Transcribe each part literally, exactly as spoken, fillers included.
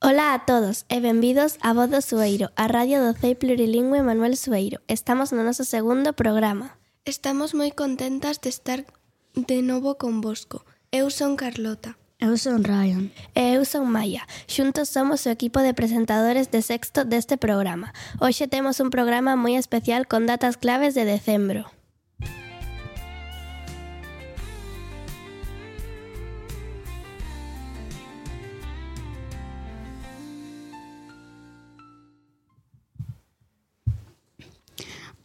Ola a todos e benvidos a Voz do Sueiro, a radio do C E I Plurilingüe Manuel Sueiro. Estamos no noso segundo programa. Estamos moi contentas de estar de novo convosco. Eu son Carlota. Eu son Ryan. E eu son Maia. Xuntos somos o equipo de presentadores de sexto deste programa. Hoxe temos un programa moi especial con datas claves de decembro.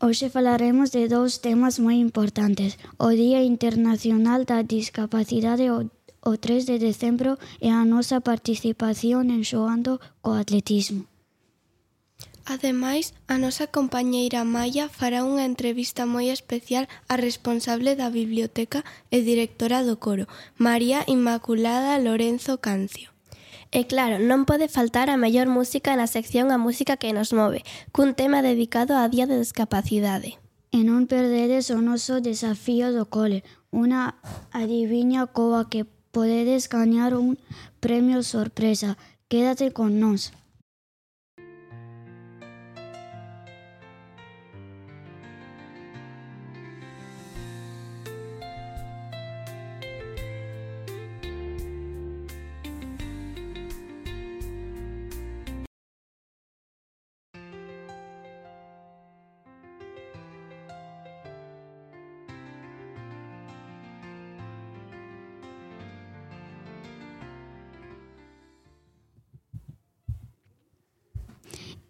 Hoxe falaremos de dous temas moi importantes, o Día Internacional da Discapacidade o, o tres de decembro e a nosa participación en Xogando co Atletismo. Ademais, a nosa compañeira Maia fará unha entrevista moi especial á responsable da biblioteca e directora do coro, María Inmaculada Lorenzo Cancio. E claro, non pode faltar a mellor música na sección A Música que nos move, cun tema dedicado á Día de Discapacidade. E non perdedes o noso desafío do cole, unha adiviña coa que podedes gañar un premio sorpresa. Quédate con nós.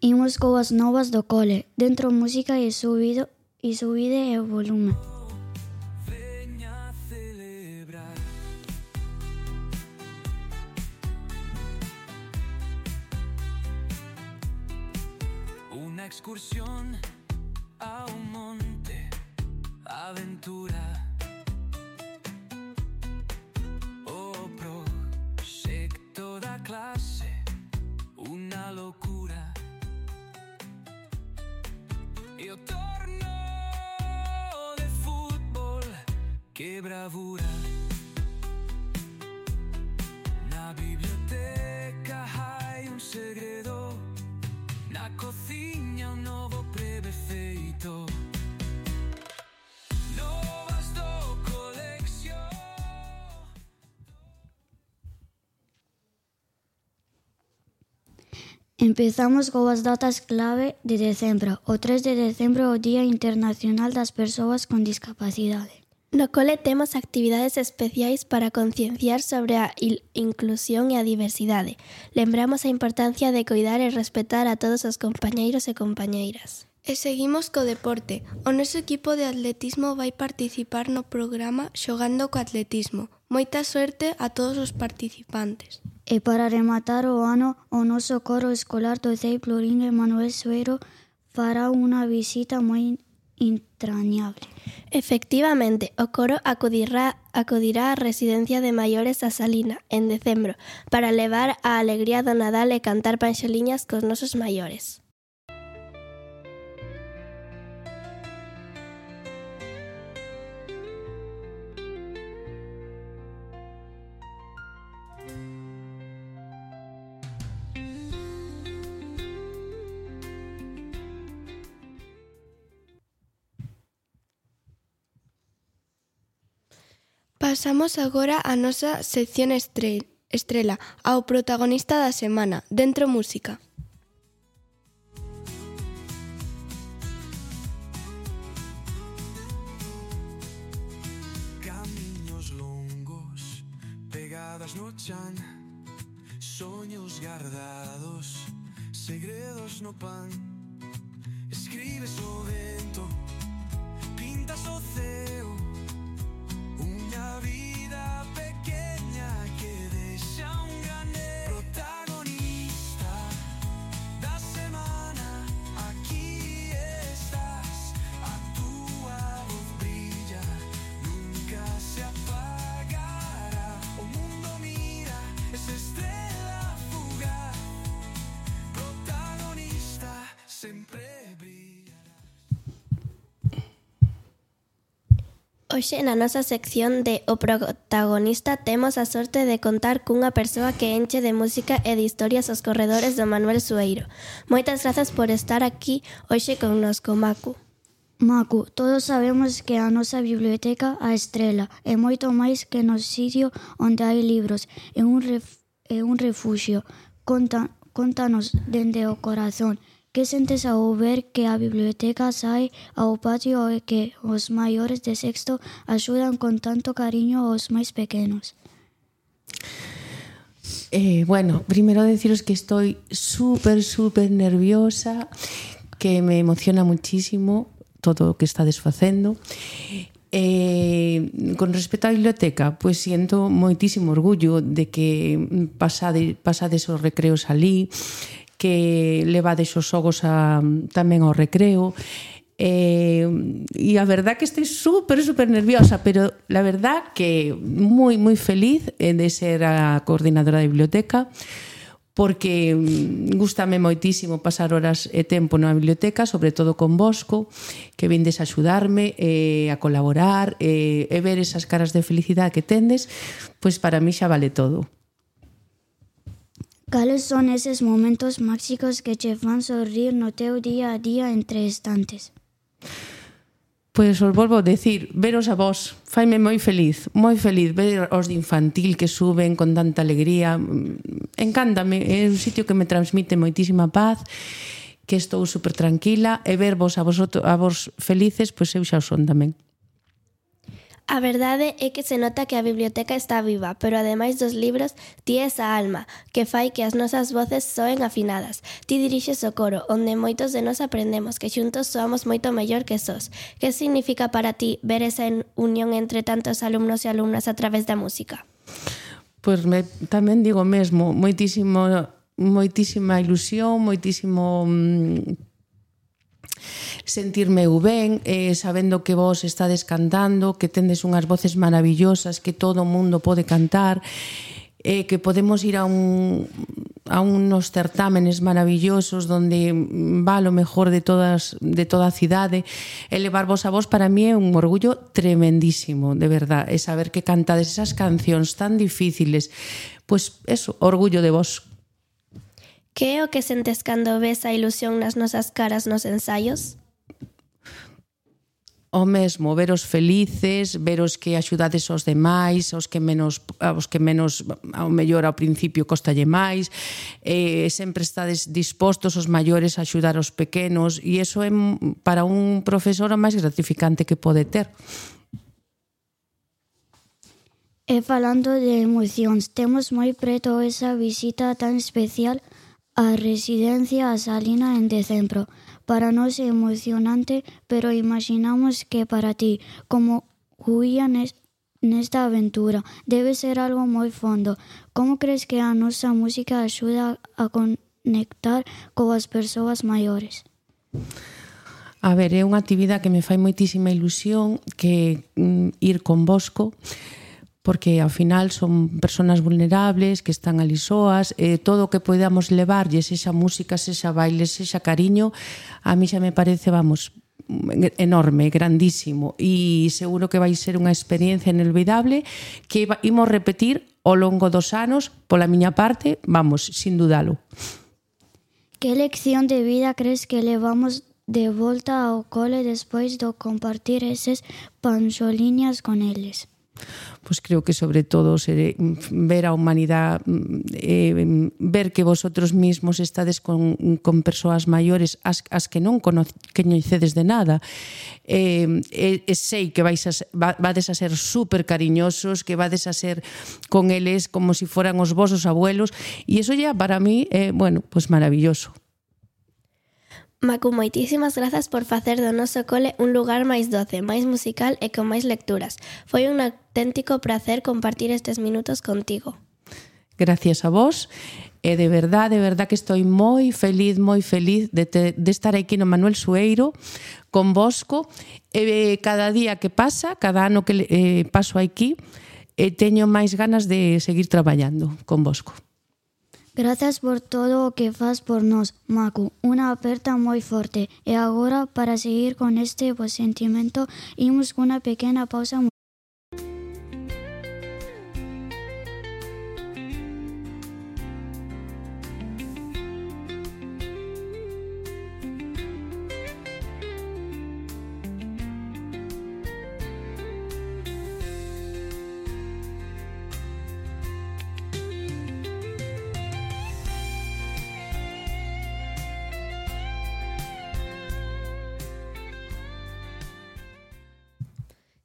Imos coas novas do cole, dentro música e subido e subide o volume. Veña a celebrar unha excursión ao monte, aventura. O proxecto da clase, unha locura. E o torno de fútbol, que bravura. Na biblioteca hai un segredo, na cociña un novo preve feito. Novas do colección. Empezamos coas datas clave de decembro. O tres de decembro é o Día Internacional das Persoas con Discapacidade. No cole temos actividades especiais para concienciar sobre a il- inclusión e a diversidade. Lembramos a importancia de coidar e respetar a todos os compañeiros e compañeiras. E seguimos co deporte. O noso equipo de atletismo vai participar no programa Xogando co Atletismo. Moita suerte a todos os participantes. E para rematar o ano, o noso coro escolar do C E I Plurilingüe Manuel Sueiro fará unha visita moi entrañable. Efectivamente, o coro acudirá, acudirá á residencia de maiores a Salina, en decembro, para levar a alegría do Nadal e cantar panxoliñas cos nosos maiores. Pasamos agora á nosa sección estre- estrela, ao protagonista da semana, Dentro Música. Camiños longos, pegadas no chan, soños guardados, segredos no pan. Escribes o vento, pintas o ceo, unha vida pequeña que deixa un gran protagonista da semana. Aquí estás, a túa voz brilla, nunca se apagará. O mundo mira, esa estrela fugaz, protagonista sempre brillará. Hoxe na nosa sección de O Protagonista temos a sorte de contar cunha persoa que enche de música e de historias os corredores do Manuel Sueiro. Moitas grazas por estar aquí hoxe connosco, Macu. Macu, todos sabemos que a nosa biblioteca, a Estrela, é moito máis que no sitio onde hai libros, é un, ref, é un refuxio. Conta, contanos dende o corazón. Que sentes ao ver que a biblioteca sae ao patio e que os maiores de sexto axudan con tanto cariño aos máis pequenos? Eh, bueno, primeiro deciros que estoy súper, súper nerviosa, que me emociona muchísimo todo o que estades facendo. Eh, con respecto á biblioteca, pois siento moitísimo orgullo de que pasade, pasades os recreos ali, que levades os xogos a, tamén ao recreo, eh, e a verdad que estou super, super nerviosa, pero la verdad que moi, moi feliz de ser a coordinadora da biblioteca, porque gústame moitísimo pasar horas e tempo na biblioteca, sobre todo con Bosco, que vindes a axudarme, eh, a colaborar, eh, e ver esas caras de felicidade que tendes, pois para mí xa vale todo. Cales son eses momentos máxicos que che fan sorrir no teu día a día entre estantes? Pois os volvo a decir, veros a vos, faime moi feliz, moi feliz, ver os de infantil que suben con tanta alegría, encántame, é un sitio que me transmite moitísima paz, que estou super tranquila, e ver vos a vos, a vos felices, pois eu xa o son tamén. A verdade é que se nota que a biblioteca está viva, pero ademais dos libros, ti esa alma, que fai que as nosas voces soen afinadas. Ti dirixes o coro, onde moitos de nós aprendemos que xuntos soamos moito mellor que sós. Que significa para ti ver esa unión entre tantos alumnos e alumnas a través da música? Pois me, tamén digo mesmo, moitísimo, moitísima ilusión, moitísimo... Mmm, sentirme ben, eh, sabendo que vos estades cantando, que tendes unhas voces maravillosas, que todo o mundo pode cantar, eh, que podemos ir a un a unos certámenes maravillosos donde va lo mejor de todas de toda a cidade, e levar vos a vos para mí é un orgullo tremendísimo, de verdad, e saber que cantades esas cancións tan difíciles, pois eso, orgullo de vos. Que é o que sentes cando ves a ilusión nas nosas caras nos ensaios? O mesmo, veros felices, veros que axudades aos demais, aos que menos, aos que menos ao mellor ao principio costalle máis, eh, sempre estades dispostos os maiores a axudar aos pequenos, e iso é para un profesor o máis gratificante que pode ter. E falando de emocións, temos moi preto esa visita tan especial á residencia a Salina en decembro. Para nós é emocionante, pero imaginamos que para ti, como huía nesta aventura, debe ser algo moi fondo. Como crees que a nosa música axuda a conectar coas persoas maiores? A ver, é unha actividade que me fai moitísima ilusión, que mm, ir con Bosco, porque ao final son personas vulnerables que están ali soas, e todo o que podamos levarlles, esa música, esa baile, esa cariño, a mí xa me parece, vamos, enorme, grandísimo, e seguro que vai ser unha experiencia inolvidable que imos repetir ao longo dos anos, pola miña parte, vamos, sin dudalo. Que lección de vida crees que levamos de volta ao cole despois do compartir eses panxoliñas con eles? Pois creo que sobre todo ser, ver a humanidade, eh, ver que vosotros mismos estades con, con persoas maiores as, as que non coñecedes de nada, eh, e, e sei que vais a, vades a ser super cariñosos, que vades a ser con eles como si foran os vosos abuelos, e iso ya para mí é, eh, bueno, pues maravilloso. Macu, moitísimas grazas por facer do noso cole un lugar máis doce, máis musical e con máis lecturas. Foi un auténtico placer compartir estes minutos contigo. Gracias a vos, e de verdad, de verdad que estou moi feliz, moi feliz de, te, de estar aquí no Manuel Sueiro con Bosco, e cada día que pasa, cada ano que eh, paso aquí, eh, teño máis ganas de seguir traballando con Bosco. Grazas por todo o que faz por nós, Macu. Unha aperta moi forte. E agora, para seguir con este bo sentimento, imos cunha pequena pausa.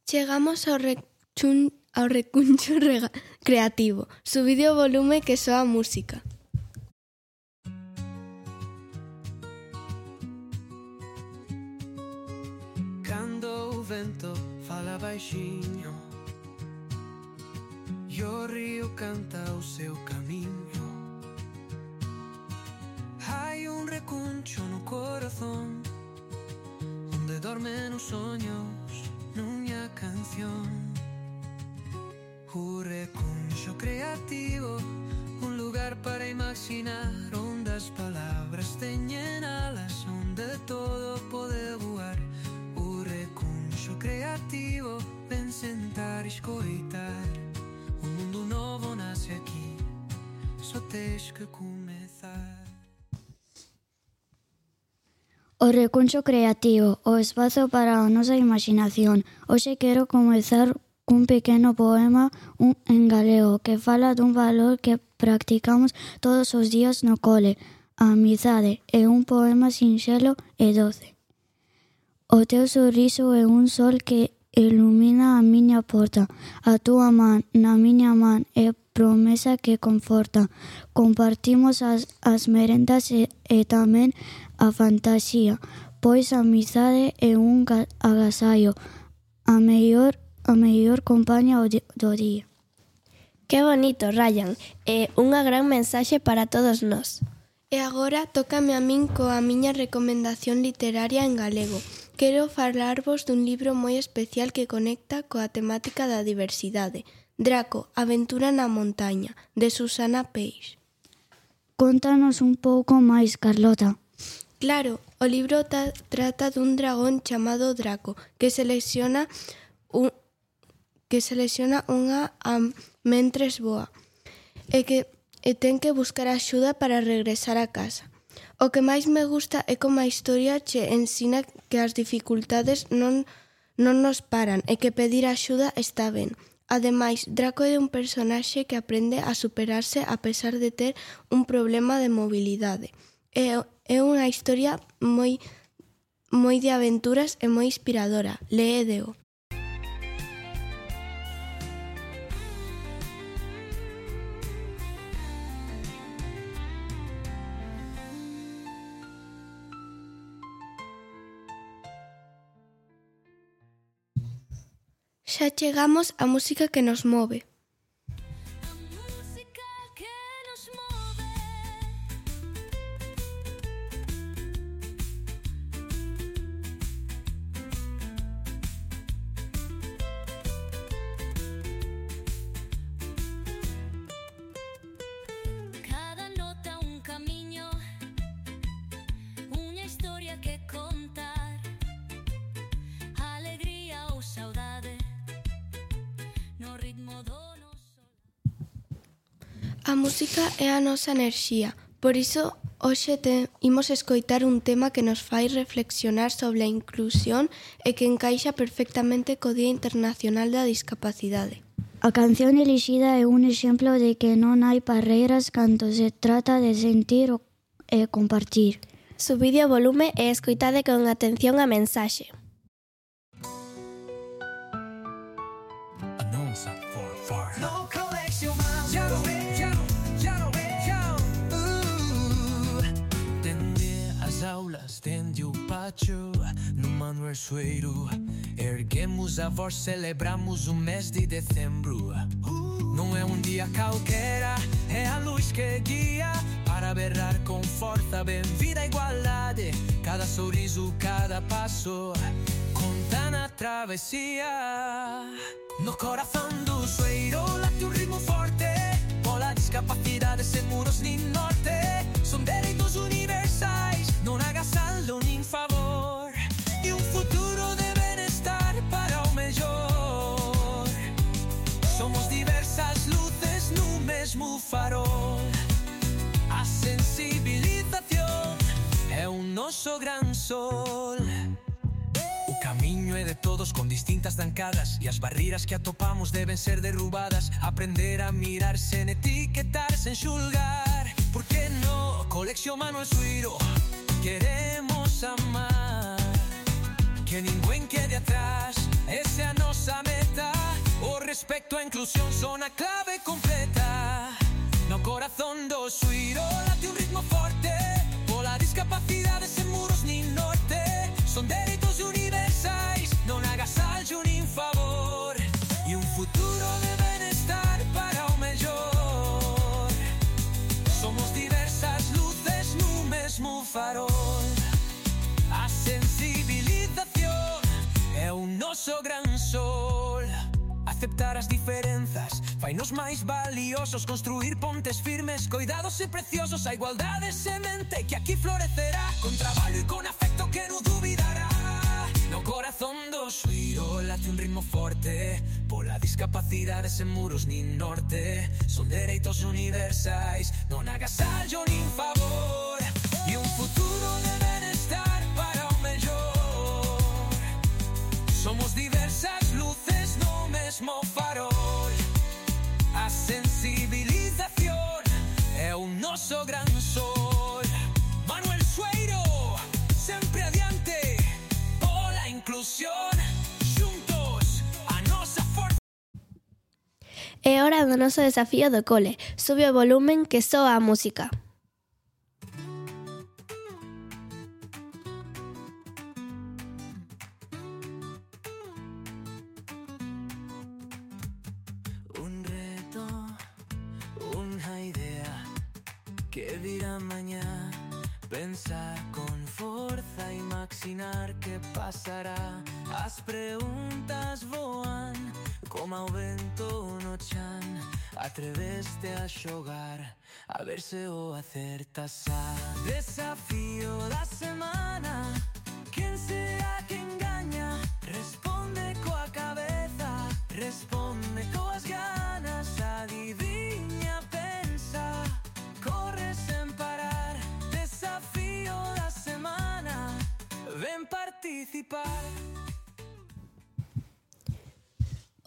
Chegamos ao, rechun, ao recuncho rega, creativo. Subide o volume que soa a música. Cando o vento fala baixinho e o río canta o seu camiño, hai un recuncho no corazón onde dormen os soños nunha canción. O recuncho creativo, un lugar para imaginar onde as palabras teñen alas, onde todo pode voar. O recuncho creativo, ven sentar e escoitar. Un mundo novo nasce aquí, só tens que comezar. O recuncho creativo, o espazo para a nosa imaginación. Hoxe quero comezar cun pequeno poema un, en galego que fala dun valor que practicamos todos os días no cole, a amizade. É un poema sinxelo e doce. O teu sorriso é un sol que ilumina a miña porta. A túa man na miña man é promesa que conforta. Compartimos as, as merendas e, e tamén a fantasía, pois a amizade é un agasallo, a mellor, a mellor compaña do día. Que bonito, Ryan. É unha gran mensaxe para todos nós. E agora tócame a min coa miña recomendación literaria en galego. Quero falarvos dun libro moi especial que conecta coa temática da diversidade. Draco, aventura na montaña, de Susana Peix. Contanos un pouco máis, Carlota. Claro, o libro ta, trata dun dragón chamado Draco que selecciona un, que selecciona unha a mentres voa e que e ten que buscar axuda para regresar a casa. O que máis me gusta é como a historia che ensina que as dificultades non, non nos paran e que pedir axuda está ben. Ademais, Draco é un personaxe que aprende a superarse a pesar de ter un problema de mobilidade. É, é unha historia moi, moi de aventuras e moi inspiradora. Léedeo. Xa chegamos á música que nos move. A música é a nosa enerxía, por iso hoxe te, imos escoitar un tema que nos fai reflexionar sobre a inclusión e que encaixa perfectamente co Día Internacional da Discapacidade. A canción elixida é un exemplo de que non hai barreiras cando se trata de sentir e compartir. Subide o volume e escoitade con atención a mensaxe. Dende o pátio, no Manuel Soeiro, erguemos a voz, celebramos o mês de dezembro. Não é um dia qualquer, é a luz que guia para berrar com força, bem-vinda à igualdade. Cada sorriso, cada passo, conta na travessia. No coração do Soeiro late um ritmo forte, por la discapacidade sem muros nem nós. mesmo farol. A sensibilización é un noso gran sol. O camiño é de todos con distintas zancadas, e as barreiras que atopamos deben ser derrubadas. Aprender a mirar sen etiquetar, sen xulgar. Por que no? Colección Manuel Suiro, queremos amar, que ningún quede atrás, esa é a nosa meta. O respecto a inclusión son a clave completa. No corazón do Suiro late un ritmo forte, pola discapacidade sen muros nin norte. Son dereitos universais, non hagas algo nin favor, e un futuro de benestar para o mellor. Somos diversas luces no mesmo farol. A sensibilización é un noso gran sol. Aceptar as diferenzas fainos máis valiosos, construir pontes firmes, coidados e preciosos. A igualdade semente que aquí florecerá, con traballo e con afecto que non dubidará. No corazón do Suiro late un ritmo forte, pola discapacidade sen muros nin norte. Son dereitos universais, non hagas algo nin favor, e un futuro de benestar para o mellor. Somos diversas luces no mesmo farol. A sensibilización é un noso gran sol. Manuel Sueiro, sempre adiante pola inclusión, xuntos a nosa forza. É hora do noso desafío do cole. Sube o volumen que soa a música. Que virá mañá, pensar con forza, imaginar que pasará. As preguntas voan como ao vento no chan. Atreveste a xogar, a ver se o acertas. A desafío da semana, quen será que engaña? Responde coa cabeza, responde coas ganas. Adiviña, pensa, corre sen parar. Desafío da semana, ven participar.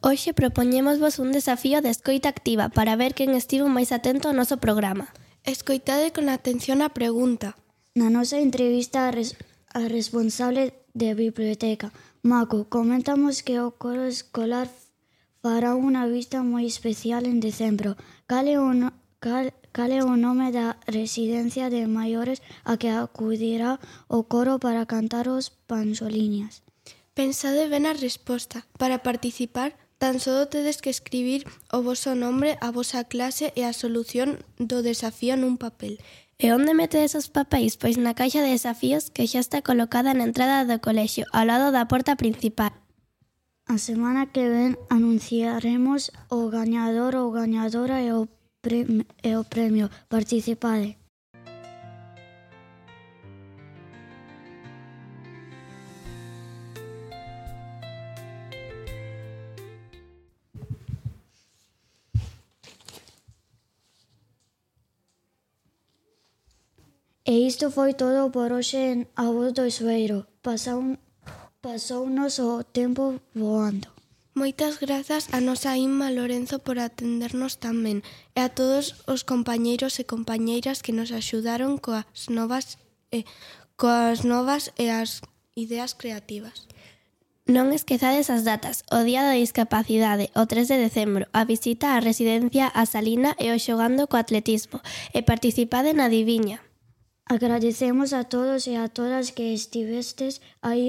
Hoxe propoñémosvos un desafío de escoita activa para ver quen estivo máis atento ao noso programa. Escoitade con atención a pregunta. Na nosa entrevista a, res, a responsable de biblioteca, Mako, comentamos que o coro escolar fará unha vista moi especial en decembro. Cal é o, no, cal, cal é o nome da residencia de maiores a que acudirá o coro para cantar os panxoliñas? Pensade ben a resposta. Para participar, tan só tedes que escribir o voso nombre, a vosa clase e a solución do desafío nun papel. E onde metedes os papéis? Pois na caixa de desafíos que xa está colocada na entrada do colexio, ao lado da porta principal. A semana que ven anunciaremos o gañador ou gañadora e o, pre- e o premio. Participade. E isto foi todo por hoxe en A Voz do Sueiro. Pasou, pasounos o tempo voando. Moitas grazas a nosa Inma Lorenzo por atendernos tan ben e a todos os compañeiros e compañeiras que nos axudaron coas novas e, coas novas e as ideas creativas. Non esquezades as datas, o Día da Discapacidade, o tres de decembro, a visita á residencia A Salina e o xogando co atletismo, e participade na Adiviña. Agradecemos a todos e a todas que estivestes aí